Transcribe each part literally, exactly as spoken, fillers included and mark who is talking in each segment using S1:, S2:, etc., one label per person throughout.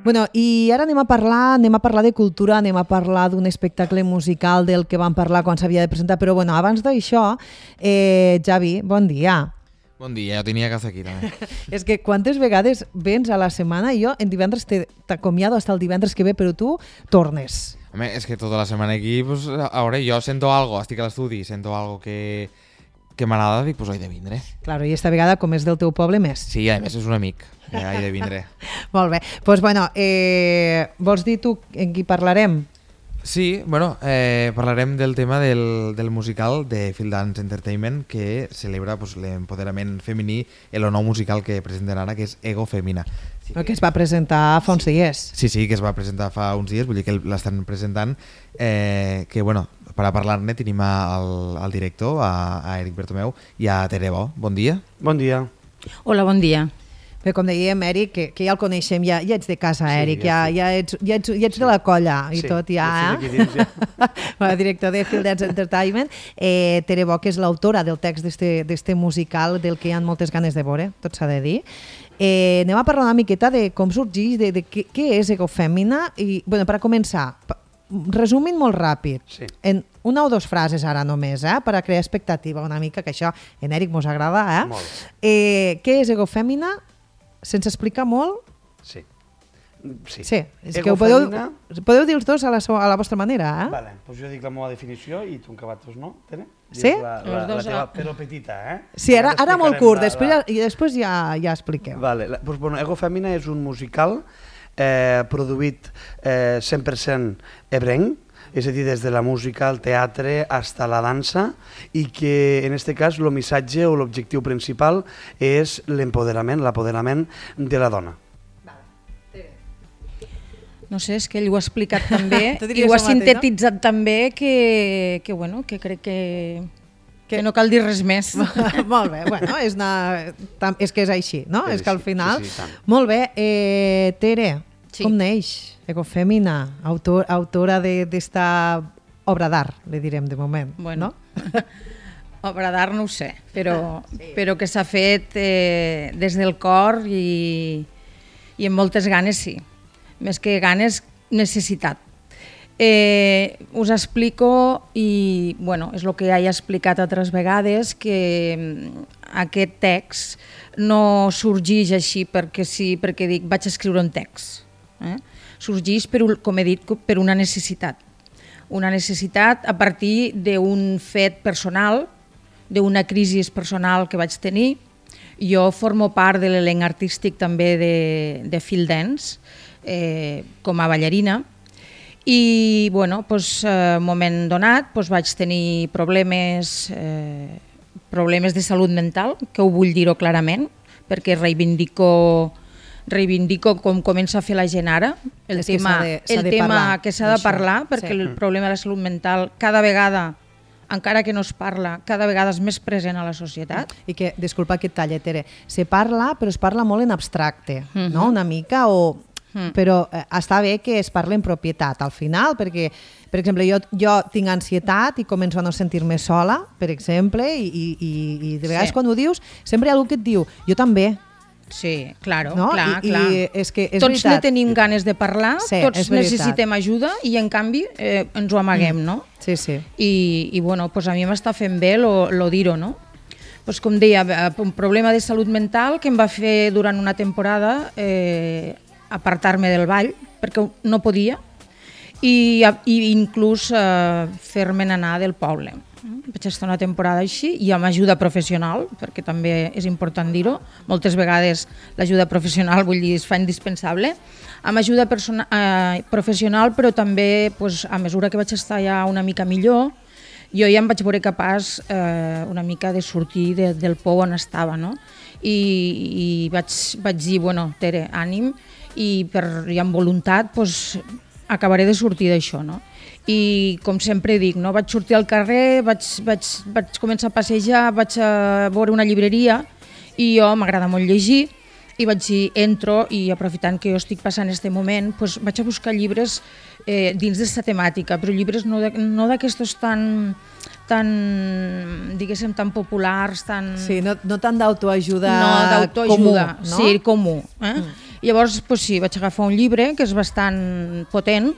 S1: Bueno, i ara anem a parlar, anem a parlar de cultura, anem a parlar d'un espectacle musical del que vam parlar quan s'havia de presentar, però bueno, abans d'això, eh, Javi, bon dia.
S2: Bon dia, jo tenia que fer aquí també.
S1: És que quantes vegades vens a la setmana i jo en divendres t'acomiado hasta el divendres que ve, però tu tornes.
S2: Home, és que tota la setmana aquí, pues, a veure, jo sento algo, estic a l'estudi, sento algo que, que m'agrada, dic, pues, he de vindre.
S1: Claro, i esta vegada, com és del teu poble, més.
S2: Sí, a més és un amic, ja he de vindre.
S1: Molt bé, doncs pues, bueno, eh, vols dir tu en qui parlarem?
S2: Sí, bueno, eh, parlarem del tema del, del musical de Field Dance Entertainment que celebra pues, l'empoderament femení en el nou musical que presenten ara, que és Ego Femina.
S1: Sí, que... que es va presentar fa uns dies.
S2: Sí, sí, que es va presentar fa uns dies, vull dir que l'estan presentant, eh, que bueno, per a parlar-ne tenim al, al director, a, a Eric Bertomeu i a Tere Bo. Bon dia.
S3: Bon dia.
S4: Hola, bon dia.
S1: Bé, com dèiem, Eric, que, que ja el coneixem, ja, ja ets de casa, sí, Eric, ja, ja, ja, ets, ja, ets, ja ets sí. de la colla i sí, tot, ja.
S3: Ja sí, dins, ja.
S1: El director de Field Dance Entertainment, eh, Tere Bo, que és l'autora del text d'este musical del que hi ha moltes ganes de veure, tot s'ha de dir. Eh, anem a parlar una miqueta de com sorgeix, de, de què, què és Ego Femina, i, bueno, per a començar, resumint molt ràpid, sí. en una o dues frases ara només, eh, per a crear expectativa una mica, que això en Eric mos agrada, eh?
S3: Molt.
S1: Eh, què és Ego Femina? Sense explicar molt?
S3: Sí. Sí,
S1: sí. És que ho podeu, podeu dir els dos a la, a la vostra manera, eh?
S3: Vale, doncs jo dic la meva definició i tu en cabatos, no? Tene?
S1: Sí?
S3: La, la, la, la teva, però petita, eh?
S1: Sí, ara, ara molt curt, la, després, la... i després ja, ja expliqueu.
S3: Vale, la, doncs, bueno, Ego Femina és un musical eh, produït eh, cent per cent ebrenc, és a dir, des de la música, el teatre, fins a la dansa, i que en aquest cas el missatge o l'objectiu principal és l'empoderament, l'apoderament de la dona.
S4: No sé, és que ell ho ha explicat també i ho ha sintetitzat no? també que, que, bueno, que crec que, que no cal dir res més.
S1: Molt bé, bueno, és, una, és que és així, no? És, és que al final...
S3: Sí, sí,
S1: molt bé, eh, Tere, sí. com neix Ego Femina, autor, autora d'esta obra d'art, li direm de moment,
S4: bueno,
S1: no?
S4: Obra d'art no ho sé, però, sí. però que s'ha fet eh, des del cor i, i amb moltes ganes, sí. Més que ganes, necessitat. Eh, us explico, i bueno, és el que ja he explicat altres vegades, que aquest text no sorgeix així perquè sí, perquè dic vaig escriure un text. Eh? Sorgeix, per, com he dit, per una necessitat. Una necessitat a partir d'un fet personal, d'una crisi personal que vaig tenir. Jo formo part de l'elenc artístic també de, de Field Dance, eh, com a ballarina, i bueno, doncs, en un moment donat doncs, vaig tenir problemes, eh, problemes de salut mental, que ho vull dir-ho clarament, perquè reivindico reivindico com comença a fer la gent ara, el
S1: és
S4: tema,
S1: que
S4: el
S1: de
S4: tema
S1: parlar,
S4: que s'ha de parlar, perquè sí. el problema de la salut mental cada vegada, encara que no es parla, cada vegada és més present a la societat.
S1: I que, disculpa que et talle, Tere, se parla, però es parla molt en abstracte, uh-huh. no? Una mica, o... Uh-huh. Però eh, està bé que es parli en propietat al final, perquè, per exemple, jo, jo tinc ansietat i començo a no sentir-me sola, per exemple, i, i, i de vegades sí. quan ho dius, sempre hi ha algú que et diu, jo també.
S4: Sí, claro,
S1: no?
S4: clar,
S1: I,
S4: clar.
S1: I és que és
S4: tots
S1: veritat.
S4: ne tenim ganes de parlar,
S1: sí,
S4: tots necessitem ajuda i en canvi eh, ens ho amaguem,
S1: mm.
S4: no?
S1: Sí, sí.
S4: I, i bueno, pues a mi m'està fent bé lo, lo dir-ho, no? Pues com deia, un problema de salut mental que em va fer durant una temporada eh, apartar-me del ball, perquè no podia, i, i inclús eh, fer-me'n anar del poble. Vaig estar una temporada així i amb ajuda professional, perquè també és important dir-ho, moltes vegades l'ajuda professional, vull dir, es fa indispensable, amb ajuda eh, professional, però també pues, a mesura que vaig estar ja una mica millor, jo ja em vaig veure capaç eh, una mica de sortir de, del pou on estava, no? I, i vaig, vaig dir, bueno, Tere, ànim, i, per, i amb voluntat pues, acabaré de sortir d'això, no? I com sempre dic, no? Vaig sortir al carrer, vaig, vaig, vaig començar a passejar, vaig a veure una llibreria i jo m'agrada molt llegir i vaig dir, entro i aprofitant que jo estic passant aquest moment, doncs vaig a buscar llibres eh, dins d'aquesta temàtica, però llibres no, de, no d'aquestos tan, tan, diguéssim, tan populars, tan...
S1: Sí, no, no tant d'autoajuda
S4: no, d'autoajuda,
S1: comú, no?
S4: Sí, comú. Eh? Mm. Llavors, pues sí, vaig agafar un llibre que és bastant potent,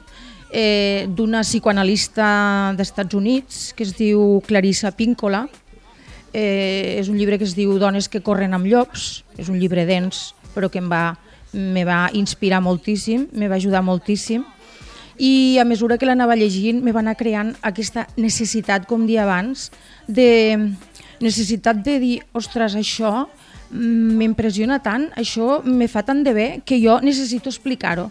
S4: eh, d'una psicoanalista d'Estats Units que es diu Clarissa Pinkola. Eh, és un llibre que es diu Dones que corren amb llops, és un llibre dens, però que em va, me va inspirar moltíssim, me va ajudar moltíssim, i a mesura que l'anava llegint me va anar creant aquesta necessitat, com dia abans, de necessitat de dir, ostres, això m'impressiona tant, això me fa tant de bé que jo necessito explicar-ho.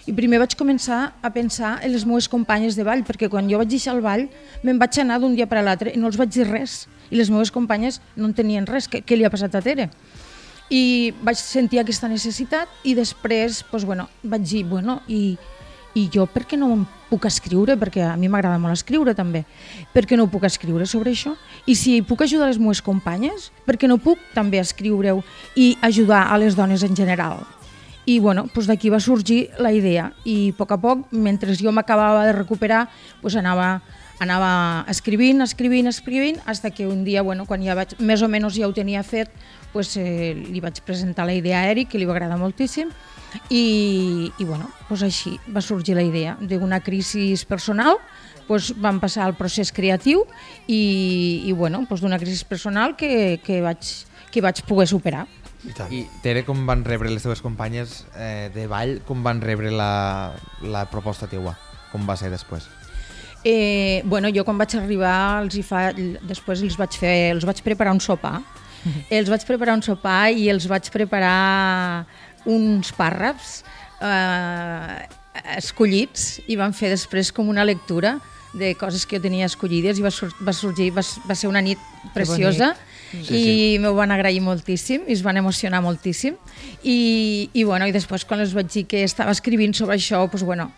S4: I primer vaig començar a pensar en les meves companyes de ball, perquè quan jo vaig deixar el ball me'n vaig anar d'un dia per a l'altre i no els vaig dir res. I les meves companyes no en tenien res. Què, què li ha passat a Tere? I vaig sentir aquesta necessitat i després doncs, bueno, vaig dir, bueno, i, i jo per què no em puc escriure? Perquè a mi m'agrada molt escriure també. Per què no puc escriure sobre això? I si puc ajudar les meves companyes, per què no puc també escriure-ho i ajudar a les dones en general? I bueno, doncs d'aquí va sorgir la idea i a poc a poc, mentre jo m'acabava de recuperar, doncs anava, anava escrivint, escrivint, escrivint, fins que un dia, bueno, quan ja vaig, més o menys ja ho tenia fet, doncs, eh, li vaig presentar la idea a Eric, que li va agradar moltíssim, i, i bueno, doncs així va sorgir la idea d'una crisi personal. Doncs vam passar al procés creatiu i, i bueno, doncs d'una crisi personal que, que, vaig, que vaig poder superar.
S3: I, tant.
S2: I Tere, com van rebre les teves companyes eh, de ball, com van rebre la, la proposta teua? Com va ser després?
S4: Eh, bueno, jo quan vaig arribar, els hi fa, després els vaig, fer, els vaig preparar un sopar. Mm-hmm. Els vaig preparar un sopar i els vaig preparar uns pàrrafs eh, escollits i van fer després com una lectura de coses que jo tenia escollides i va, sur va sorgir, va, va ser una nit preciosa. Sí, i sí. M'ho van agrair moltíssim i es van emocionar moltíssim i, i, bueno, i després quan els vaig dir que estava escrivint sobre això, doncs, bueno,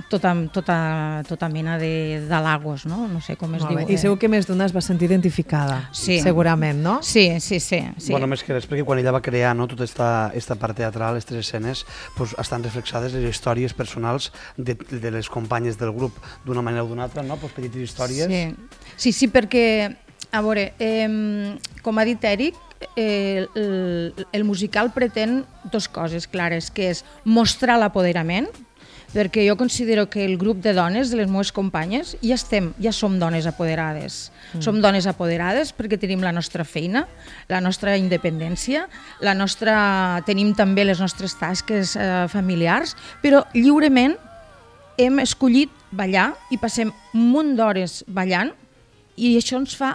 S4: tota, tota, tota mena d'halagos, no? No sé com es diu.
S1: I segur que més d'una es va sentir identificada, sí. Segurament, no?
S4: Sí, sí, sí. sí.
S3: Bueno, més que res, perquè quan ella va crear, no, tota esta, esta part teatral, les tres escenes, pues, estan reflexades les històries personals de, de les companyes del grup, d'una manera o d'una altra, no? Pues, petites històries.
S4: Sí, sí, sí, perquè a veure, eh, com ha dit Eric, eh, el, el musical pretén dues coses clares, que és mostrar l'apoderament, perquè jo considero que el grup de dones, de les meves companyes, ja estem, ja som dones apoderades. Mm. Som dones apoderades perquè tenim la nostra feina, la nostra independència, la nostra, tenim també les nostres tasques eh, familiars, però lliurement hem escollit ballar i passem un munt d'hores ballant i això ens fa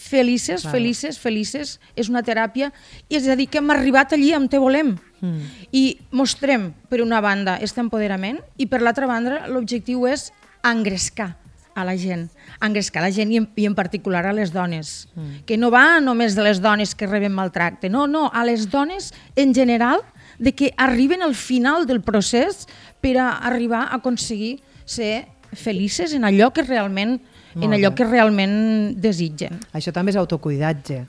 S4: felices, claro. felices, felices, és una teràpia, i és a dir, que hem arribat allí on te volem. Mm. I mostrem, per una banda, aquest empoderament, i per l'altra banda, l'objectiu és engrescar a la gent, engrescar a la gent i en, i en particular a les dones, mm. que no va només de les dones que reben maltracte, no, no, a les dones en general, de que arriben al final del procés per a arribar a aconseguir ser felices en allò que realment Molt en allò bé. que realment desitgen.
S1: Això també és autocuidatge.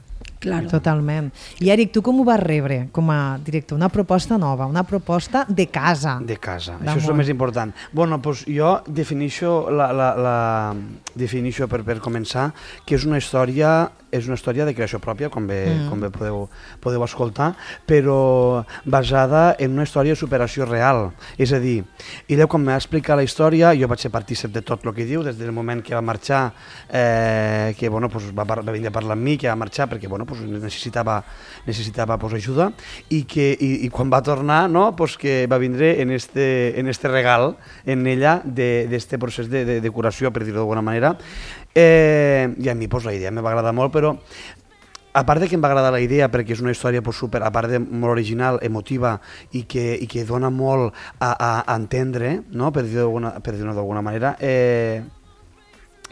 S4: Claro.
S1: Totalment. I Eric, tu com ho vas rebre com a director? Una proposta nova, una proposta de casa.
S3: De casa, això és el més important. Bueno, doncs jo definixo, la, la, la, definixo per, per començar que és una història és una història de creació pròpia, com bé, mm. com bé podeu, podeu escoltar, però basada en una història de superació real. És a dir, ella quan m'ha explicat la història, jo vaig ser partícip de tot el que diu, des del moment que va marxar, eh, que bueno, pues va, va venir a parlar amb mi, que va marxar perquè bueno, pues necessitava, necessitava pues, ajuda, i, que, i, i quan va tornar, no, pues que va vindre en este, en este regal, en ella, d'este procés de, de, de curació, per dir-ho d'alguna manera. Eh, I a mi pues, la idea me va agradar molt, però a part de que em va agradar la idea perquè és una història pues, super, a part de molt original, emotiva i que, i que dona molt a, a, a entendre, no? Per dir-ho d'alguna manera, eh,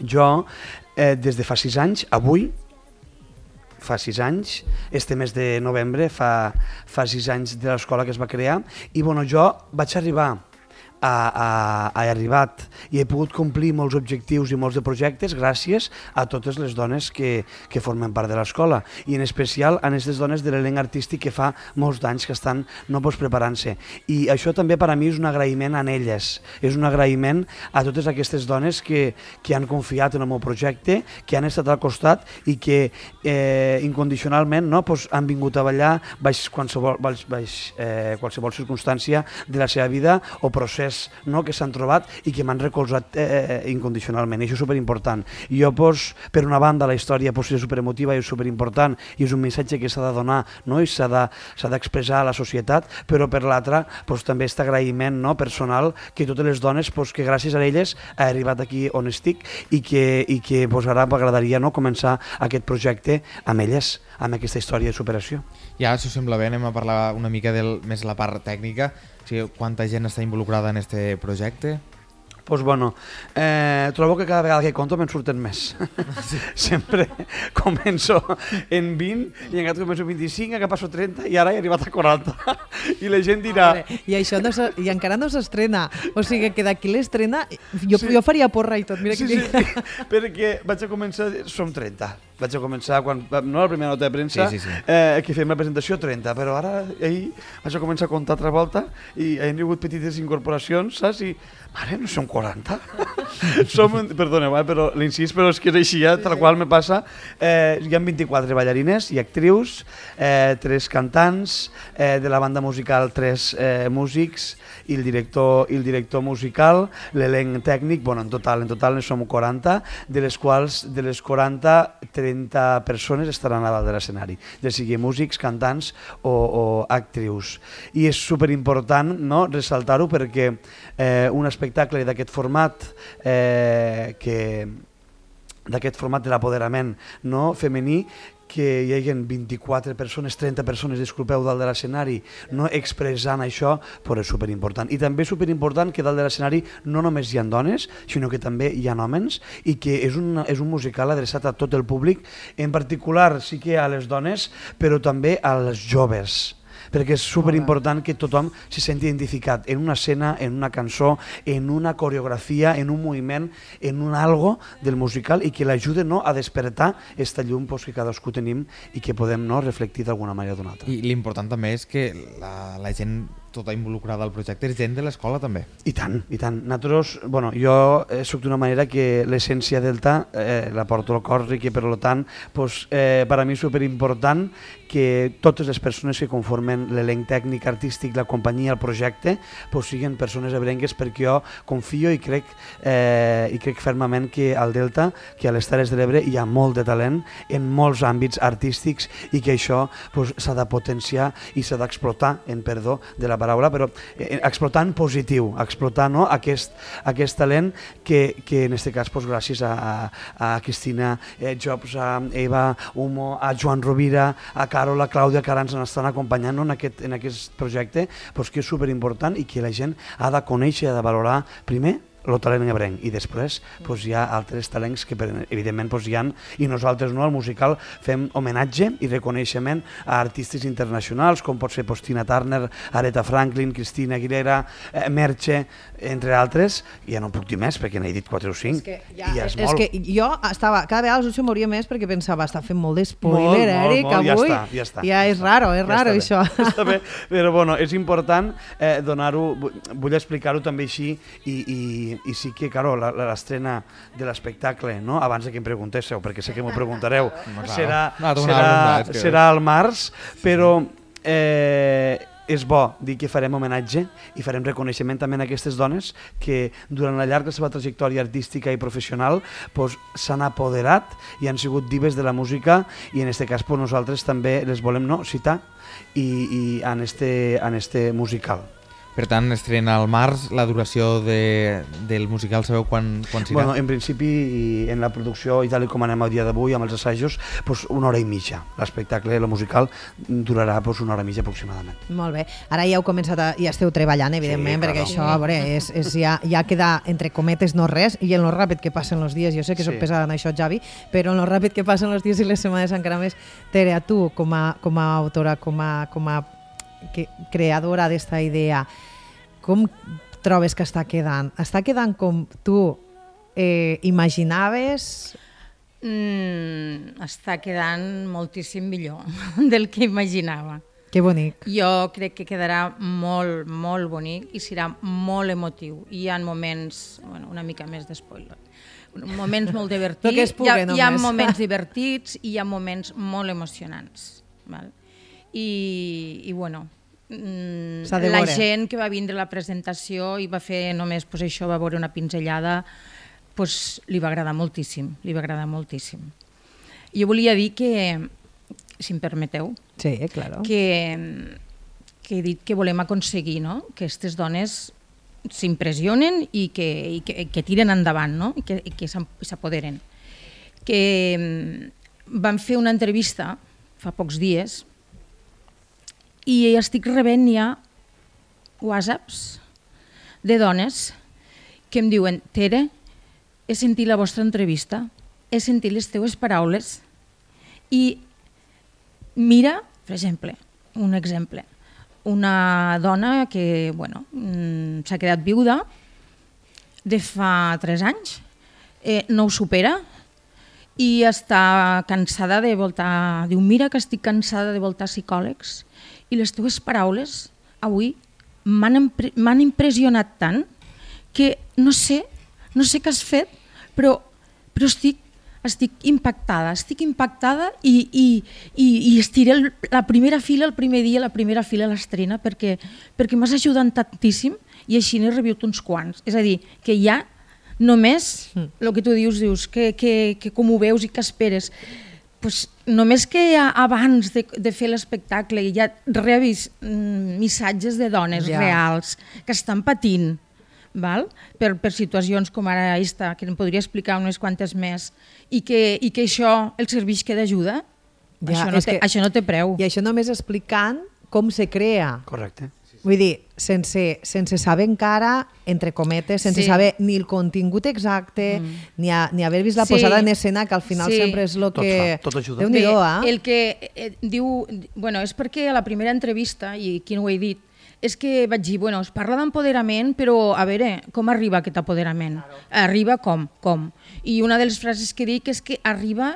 S3: jo eh, des de fa sis anys, avui, fa sis anys, este mes de novembre, fa, fa sis anys de l'escola que es va crear, i bueno, jo vaig arribar ha, ha, ha arribat i he pogut complir molts objectius i molts de projectes gràcies a totes les dones que, que formen part de l'escola i en especial a aquestes dones de l'elenc artístic que fa molts d'anys que estan no pues, preparant-se. I això també per a mi és un agraïment a elles, és un agraïment a totes aquestes dones que, que han confiat en el meu projecte, que han estat al costat i que eh, incondicionalment no, pues, han vingut a ballar baix qualsevol, baix, baix, eh, qualsevol circumstància de la seva vida o procés no, que s'han trobat i que m'han recolzat eh, incondicionalment. I això és superimportant. I jo, pues, per una banda, la història pues, és superemotiva i és superimportant i és un missatge que s'ha de donar no, i s'ha d'expressar de, a la societat, però per l'altra pues, també aquest agraïment no, personal que totes les dones, pues, que gràcies a elles he arribat aquí on estic i que, i que pues, ara m'agradaria no, començar aquest projecte amb elles, amb aquesta història de superació.
S2: Ja, si us sembla bé, anem a parlar una mica del, més la part tècnica. O sigui, quanta gent està involucrada en este projecte?
S3: Pues bueno, eh, trobo que cada vegada que conto me'n surten més. Sí. Sempre començo en vint i encara començo vint-i-cinc, encara passo trenta i ara he arribat a quaranta. I la gent dirà...
S1: I això no i encara no s'estrena. O sigui que d'aquí l'estrena jo, sí. jo faria porra i tot. Mira
S3: sí,
S1: que...
S3: sí, sí, perquè vaig a començar... Som trenta. Vaig a començar, quan, no la primera nota de premsa, sí, sí, sí. Eh, que fem la presentació trenta, però ara ahir vaig a començar a comptar altra volta i han hagut petites incorporacions, saps? I, mare, no som quaranta? som, perdoneu, eh, però l'incís, però és que és així, eh, tal qual me passa. Eh, hi ha vint-i-quatre ballarines i actrius, eh, tres cantants, eh, de la banda musical tres eh, músics i el director, i el director musical, l'elenc tècnic, bueno, en total, en total en som quaranta, de les quals, de les quaranta, trenta persones estaran a dalt de l'escenari, ja sigui músics, cantants o, o actrius. I és superimportant no, ressaltar-ho perquè eh, un espectacle d'aquest format eh, que d'aquest format de l'apoderament no, femení que hi hagi vint-i-quatre persones, trenta persones, disculpeu, dalt de l'escenari, no expressant això, però és superimportant. I també és superimportant que dalt de l'escenari no només hi ha dones, sinó que també hi ha homes i que és un, és un musical adreçat a tot el públic, en particular sí que a les dones, però també als joves, perquè és superimportant que tothom se senti identificat en una escena, en una cançó, en una coreografia, en un moviment, en un algo del musical i que l'ajude no, a despertar aquesta llum pues, que cadascú tenim i que podem no, reflectir d'alguna manera o d'una altra.
S2: I l'important també és que la, la gent tota involucrada al projecte és gent de l'escola també.
S3: I tant, i tant. Nosaltres, bueno, jo eh, soc d'una manera que l'essència Delta eh, la porto al cor i que per tant pues, eh, per a mi és superimportant que totes les persones que conformen l'elenc tècnic, artístic, la companyia, el projecte, pues, siguin persones ebrengues perquè jo confio i crec, eh, i crec fermament que al Delta, que a les Terres de l'Ebre hi ha molt de talent en molts àmbits artístics i que això pues, s'ha de potenciar i s'ha d'explotar, en perdó de la paraula, però eh, explotar en positiu, explotar no, aquest, aquest talent que, que en aquest cas pues, gràcies a, a, a Cristina eh, Jobs, a Eva Humo, a Joan Rovira, a Carola, Clàudia, que ara ens estan acompanyant no, en, aquest, en aquest projecte, pues, que és superimportant i que la gent ha de conèixer i ha de valorar primer el talent ebrenc i després pues, hi ha altres talents que evidentment pues, hi ha i nosaltres no, al musical fem homenatge i reconeixement a artistes internacionals com pot ser pues, Tina Turner, Aretha Franklin, Cristina Aguilera, eh, Merche, entre altres, i ja no puc dir més perquè n'he dit quatre o cinc.
S1: És que, ja,
S3: i ja és,
S1: és
S3: molt.
S1: que jo estava, cada vegada els ho moria més perquè pensava, està fent molt d'espoiler, Eric,
S3: molt, molt,
S1: avui.
S3: Ja està, ja està.
S1: Ja és raro, és
S3: ja
S1: raro
S3: està
S1: això.
S3: Bé, està bé, però bueno, és important eh, donar-ho, vull explicar-ho també així i, i i sí que, claro, l'estrena de l'espectacle, no? Abans que em preguntéssiu, perquè sé que m'ho preguntareu, serà, serà, serà al març, però eh, és bo dir que farem homenatge i farem reconeixement també a aquestes dones que durant la llarga seva trajectòria artística i professional pues, s'han apoderat i han sigut divas de la música i en aquest cas pues, nosaltres també les volem no, citar i, i en, este, en este musical.
S2: Per tant, estrena al març, la duració de, del musical, sabeu quan, quan serà?
S3: Bueno, en principi, en la producció i tal com anem el dia d'avui, amb els assajos, pues una hora i mitja. L'espectacle, el musical, durarà pues, una hora i mitja aproximadament.
S1: Molt bé. Ara ja heu començat, a, ja esteu treballant, evidentment, sí, perquè això, a veure, és, és ja, ja queda, entre cometes, no res, i en lo ràpid que passen els dies, jo sé que soc sí. pesada en això, Javi, però en lo ràpid que passen els dies i les setmanes encara més. Tere, a tu, com a, com a autora, com a, com a que, creadora d'esta idea, com trobes que està quedant? Està quedant com tu eh, imaginaves?
S4: Mm, està quedant moltíssim millor del que imaginava.
S1: Que bonic.
S4: Jo crec que quedarà molt, molt bonic i serà molt emotiu. Hi ha moments, bueno, una mica més d'espoiler, moments molt divertits,
S1: que es pugui,
S4: hi, ha, hi ha
S1: només.
S4: moments divertits i hi ha moments molt emocionants. Val? I, i bueno, mm,
S1: S'ha de
S4: la
S1: veure.
S4: gent que va vindre a la presentació i va fer només pues, això, va veure una pinzellada, pues, li va agradar moltíssim, li va agradar moltíssim. Jo volia dir que, si em permeteu,
S1: Sí, claro.
S4: que, que he dit que volem aconseguir, no? Que aquestes dones s'impressionen i, que, i que, que tiren endavant, no? I que, i que s'apoderen. Que mm, vam fer una entrevista fa pocs dies i estic rebent ja whatsapps de dones que em diuen: Tere, he sentit la vostra entrevista, he sentit les teues paraules i mira, per exemple, un exemple, una dona que bueno, mm, s'ha quedat viuda de fa tres anys, eh, no ho supera i està cansada de voltar, diu, mira que estic cansada de voltar psicòlegs i les teves paraules avui m'han impre- m'han impressionat tant que no sé, no sé què has fet, però, però estic, estic impactada, estic impactada i, i, i, i estiré el, la primera fila el primer dia, la primera fila a l'estrena, perquè, perquè m'has ajudat tantíssim i així n'he rebut uns quants. És a dir, que ja només, el que tu dius, dius que, que, que com ho veus i què esperes, pues, només que abans de, de fer l'espectacle ja rebis mm, missatges de dones
S1: Ja.
S4: reals que estan patint, val? Per, per situacions com ara aquesta, que em podria explicar unes quantes més, i que, i que això el serveix que d'ajuda,
S1: Ja,
S4: això, no
S1: és
S4: té,
S1: que-
S4: això no té preu.
S1: I això només explicant com se crea.
S3: Correcte.
S1: Vull dir, sense, sense saber encara, entre cometes, sense
S4: Sí.
S1: saber ni el contingut exacte, mm. ni, a, ni haver vist la
S4: Sí.
S1: posada en escena, que al final
S4: Sí.
S1: sempre és el
S3: Tot
S1: que...
S3: fa, tot ajuda.
S1: Déu-n'hi-do,
S4: Bé,
S1: eh?
S4: el que eh, diu, bueno, és perquè a la primera entrevista, i aquí no ho he dit, és que vaig dir, bueno, es parla d'empoderament, però a veure, com arriba aquest apoderament? Claro. Arriba com? Com? I una de les frases que dic és que arriba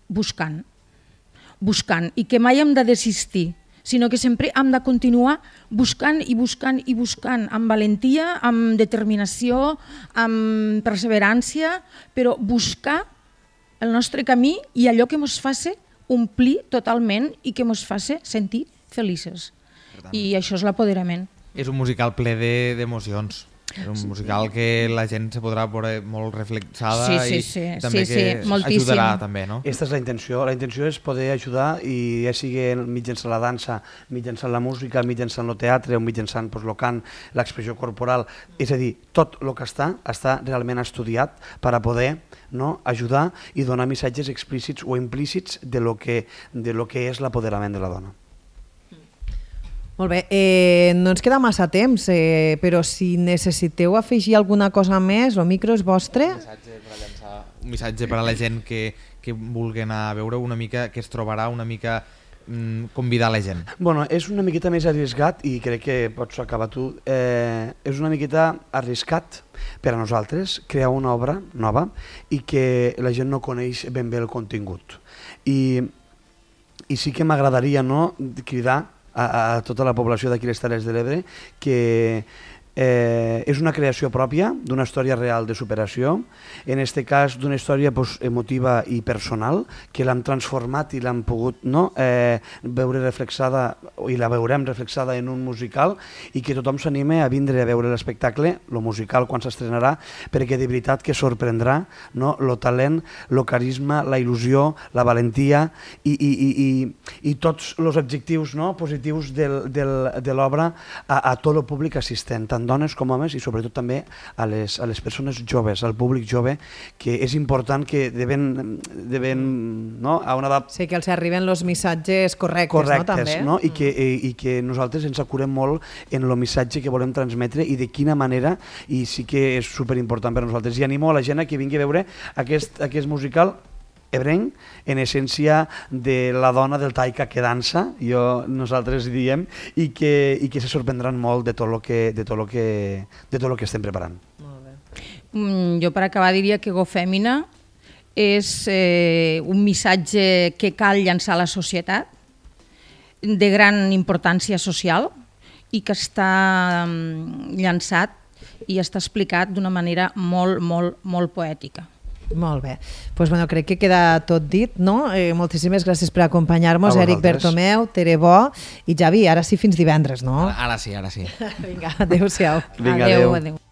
S4: buscant, buscant, i que mai hem de desistir, sinó que sempre hem de continuar buscant i buscant i buscant, amb valentia, amb determinació, amb perseverància, però buscar el nostre camí i allò que ens faci omplir totalment i que ens faci sentir felices. I això és l'apoderament.
S2: És un musical ple de- d'emocions. És un musical que la gent se podrà veure molt reflexada
S4: Sí, sí,
S2: i
S4: sí,
S2: també
S4: sí,
S2: que
S4: sí, moltíssim.
S2: ajudarà també, no?
S3: Aquesta és la intenció. La intenció és poder ajudar, i ja sigui mitjançant la dansa, mitjançant la música, mitjançant el teatre o mitjançant pues, el cant, l'expressió corporal. És a dir, tot el que està, està realment estudiat per a poder, no, ajudar i donar missatges explícits o implícits de lo que, de lo que és l'apoderament de la dona.
S1: Molt bé, eh, no ens queda massa temps, eh, però si necessiteu afegir alguna cosa més, el micro és vostre.
S2: Un missatge per a llançar, un missatge per a la gent que, que vulgui anar a veure una mica, que es trobarà una mica mm, convidar la gent.
S3: Bueno, és una miqueta més arriscat i crec que pots acabar tu. Eh, és una miqueta arriscat per a nosaltres crear una obra nova i que la gent no coneix ben bé el contingut. I, i sí que m'agradaria, no, cridar a, a tota la població d'aquí les Terres de l'Ebre que Eh, és una creació pròpia d'una història real de superació, en aquest cas d'una història pues, emotiva i personal, que l'hem transformat i l'hem pogut no, eh, veure reflexada, i la veurem reflexada en un musical, i que tothom s'anime a vindre a veure l'espectacle, el musical quan s'estrenarà, perquè de veritat que sorprendrà no, el talent, el carisma, la il·lusió, la valentia i, i, i, i, i tots els adjectius no, positius del, del, de l'obra a, a tot el públic assistent, tant dones com homes, i sobretot també a les, a les persones joves, al públic jove, que és important que deben, deben no, a una edat
S1: Sí, que els arriben els missatges correctes,
S3: correctes,
S1: no? També.
S3: no? I, que, i, i que nosaltres ens acurem molt en el missatge que volem transmetre i de quina manera, i sí que és superimportant per a nosaltres. I animo a la gent a que vingui a veure aquest, aquest musical ebrenc, en essència de la dona del taika que dansa, jo, nosaltres diem, i que, i que se sorprendran molt de tot el que, de tot el que, de tot el que estem preparant.
S1: Molt bé.
S4: Mm, jo per acabar diria que Ego Fèmina és eh, un missatge que cal llançar a la societat, de gran importància social i que està mm, llançat i està explicat d'una manera molt, molt, molt poètica.
S1: Molt bé. Pues, bueno, crec que queda tot dit, no? Eh, moltíssimes gràcies per acompanyar-nos, Eric Bertomeu, Tere Bo i Javi. Ara sí, fins divendres, no?
S2: Ara, ara sí, ara sí.
S1: Vinga, adéu-siau.
S3: Vinga,
S4: adéu.
S3: adéu.
S4: adéu.